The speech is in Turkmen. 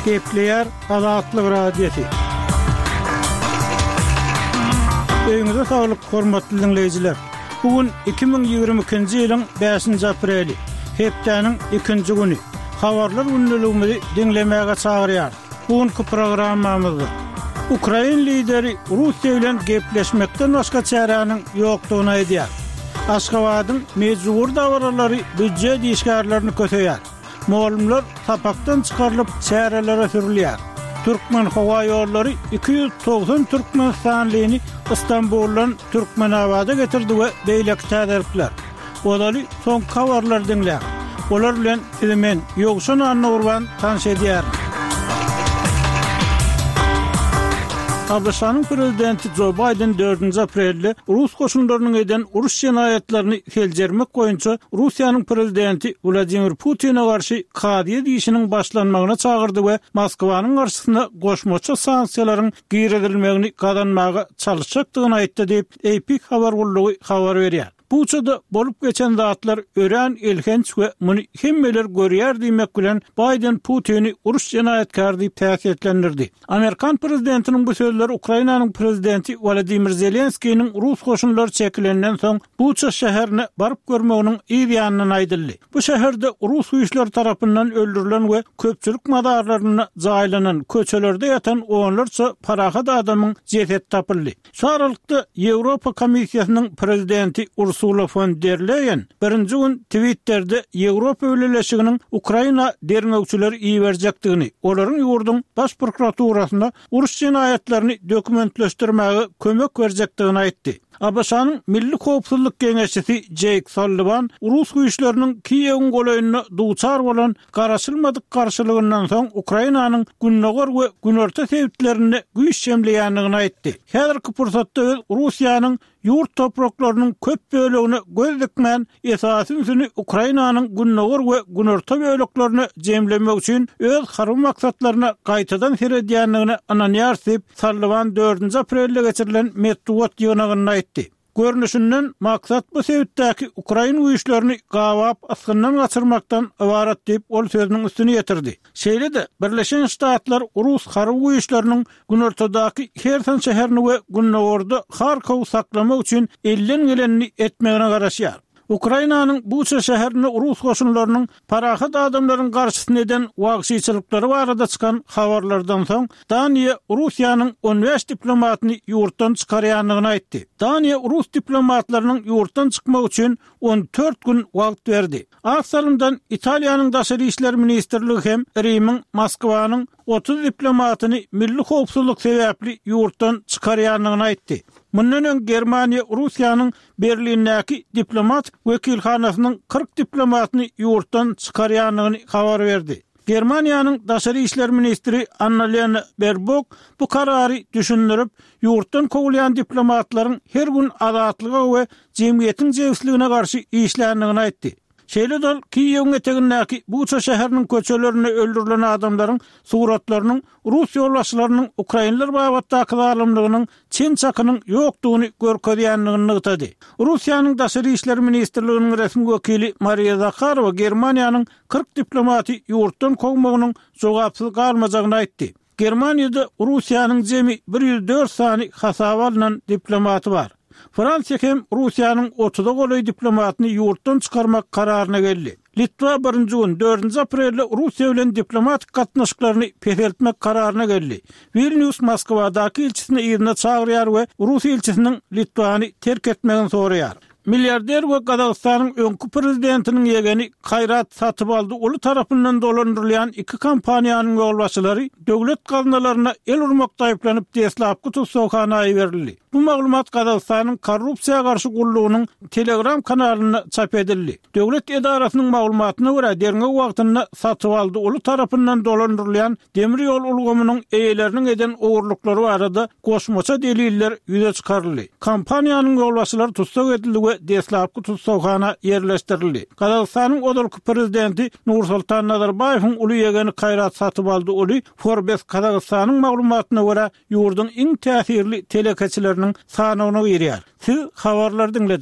Gepleýär Azatlyk Radiosy. Öýüňize saglyk, hormatly diňleýjiler! Bu gün 2022-nji ýylyň bäşinji apreli, hepdäniň ikinji güni. Habarlar gündeligimizi diňlemäge çagyrýarys. Bu günki programmamyzda ukrain lideri Russiýa bilen gepleşmekden başga çäräniň ýokdugyny aýdýar. Aşgabadyň mejbury dabaralary býujet işgärlerini köseýär. Mugallymlar sapakdan çykarylyp, çärelere sürülýär. Türkmenhowaýollary 290 türkmenistanlyny Stambuldan Türkmenabada getirdi we beýleki täzelikler. Ozaly soňky habarlary diňläň. Olar bilen sizi men, Ýowşan Annagurban tanyş edýärin. ABŞ-nyň prezidenti Jo Baýden dördünji aprelde rus goşunlarynyň eden uruş jenaýatlaryny seljermek boýunça Russiýanyň prezidenti Wladimir Putine garşy kazyýet işiniň başlanmagyna çagyrdy we Moskwanyň garşysyna goşmaça sanksiýalaryň girizilmegini gazanmaga çalyşjakdygyny aýtdy diýip, AP habar gullugy habar berýär. Buçada bolup geçen zatlar örän elhenç we muny hemmeler görýär diýmek bilen, Baýden Putini uruş jenaýatkäri diýip häsiýetlendirdi. Amerikan prezidentiniň bu sözleri Ukrainanyň prezidenti Wolodymyr Zelenskiniň rus goşunlary çekilenden soň Buça şäherine baryp görmeginiň yz ýanyndan aýdyldy. Bu şäherde rus güýçleri tarapyndan öldürilen we köpçülik mazarlarynda jaýlanan, köçelerde ýatan onlarça parahat adamyň jesedi tapyldy. Şu aralykda, Ýewropa Komissiýasynyň prezidenti Ursula fon der Leýen birinji gün Twitterde Ýewropa Bileleşiginiň Ukraina derňewçileri iberjekdigini, olaryň ýurduň Baş prokuraturasyna uruş jenaýatlaryny dokumentleşdirmäge kömek berjekdigini aýtdy. ABŞ-nyň Milli howpsuzlyk geňeşçisi Jeýk Salliwan rus güýçleriniň Kiýewiň golaýynda duçar bolan Garaşylmadyk garşylygyndan soň Ukrainanyň gündogar we günorta sebitlerinde güýç jemleýändigini aýtdy. Häzirki pursatda biz Russiýanyň ýurt topraklarynyň köp bölegine göz dikmän, esasy ünsüni Ukrainanyň gündogar we günorta böleklerine jemlemek üçin öz harby maksatlaryna gaýtadan seredýändigine ynanýarys diýip, Salliwan dördünji aprelde geçirilen metbugat ýygnagynda aýtdy. Görnüşinden, maksat bu sebitdäki ukrain güýçlerini gabap ysgyndan gaçyrmakdan ybarat diýip, ol sözüniň üstüni ýetirdi. Şeýle-de, Birleşen Ştatlar rus harby güýçleriniň günortadaky Herson şäherini we gündogarda Harkowy saklamak üçin elden gelenini etmegine garaşýar. Ukrainanyň Buça şäherinde rus goşunlarynyň parahat adamlaryň garşysyna eden wagşyçylyklary barada çykan habarlardan soň, Daniýa Russiýanyň on bäş diplomatyny ýurtdan çykarýandygyny aýtdy. Daniýa rus diplomatlarynyň ýurtdan çykmagy üçin on dört gün wagt berdi. Az salymdan Italiýanyň Daşary işler ministrligi hem Rimiň Moskwanyň 30 diplomatyny milli howpsuzlyk sebäpli ýurtdan çykarýandygyny aýtdy. Mundan öň Germaniýa Russiýanyň Berlindäki diplomatik wekilhanasynyň 40 diplomatyny ýurtdan çykarýandygyny habar berdi. Germaniýanyň daşary işler ministri Annalena Berbok bu karary düşündirip, ýurtdan kowulýan diplomatlaryň her gün azatlyga we jemgyýetiň jebisligine garşy işländigini aýtdy. Şeýle-de ol Kiýewiň etegindäki Buça şäheriniň köçelerinde öldürilen adamlaryň suratlarynyň rus ýolbaşçylarynyň ukrainler babatdaky zalymlygynyň çen-çakynyň ýokdugyny görkezýändigini nygtady. Russiýanyň Daşary işler ministrliginiň resmi wekili Mariýa Zaharowa Germaniýanyň 40 diplomaty ýurtdan kowmagynyň jogapsyz galmajagyny aýtdy. Germaniýada Russiýanyň jemi 104 sany hasaba alnan diplomaty bar. Fransiýa hem Russiýanyň otuza golaý diplomatyny ýurtdan çykarmak kararyna geldi. Litwa birinji gün, dördünji aprelde Russiýa bilen diplomatik gatnaşyklaryny peseltmek kararyna geldi. Wilnýus Moskwadaky ilçisini yzyna çagyrýar we rus ilçisiniň Litwany terk etmegini soraýar. Milliarder we Gazagystanyň öňki prezidentiniň ýegeni Kaýrat Satybaldy uly tarapyndan dolandyrylýan iki kompaniýanyň ýolbaşçylary döwlet gaznalaryna el urmakda aýyplanyp deslapky tussaghana iberildi. Bu maglumat Gazagystanyň Korrupsiýa garşy gullugynyň Telegram kanalynda çap edildi. Döwlet edarasynyň maglumatyna görä, derňew wagtynda Satybaldy uly tarapyndan dolandyrylýan demir ýol ulgamynyň eýeleriniň eden ogurlyklary barada goşmaça deliller ýüze çykaryldy. Kompaniýanyň ýolbaşçylary tussag edildi we deslapky tussaghana ýerleşdirildi. Gazagystanyň ozalky prezidenti Nursultan Nazarbaýewiň uly ýegeni Kaýrat Satybaldy uly Forbes Kazagystanyň maglumatyna görä, ýurduň iň täsirli telekeçileriniň sanawyna girýär. Siz habarlary diňlediňiz.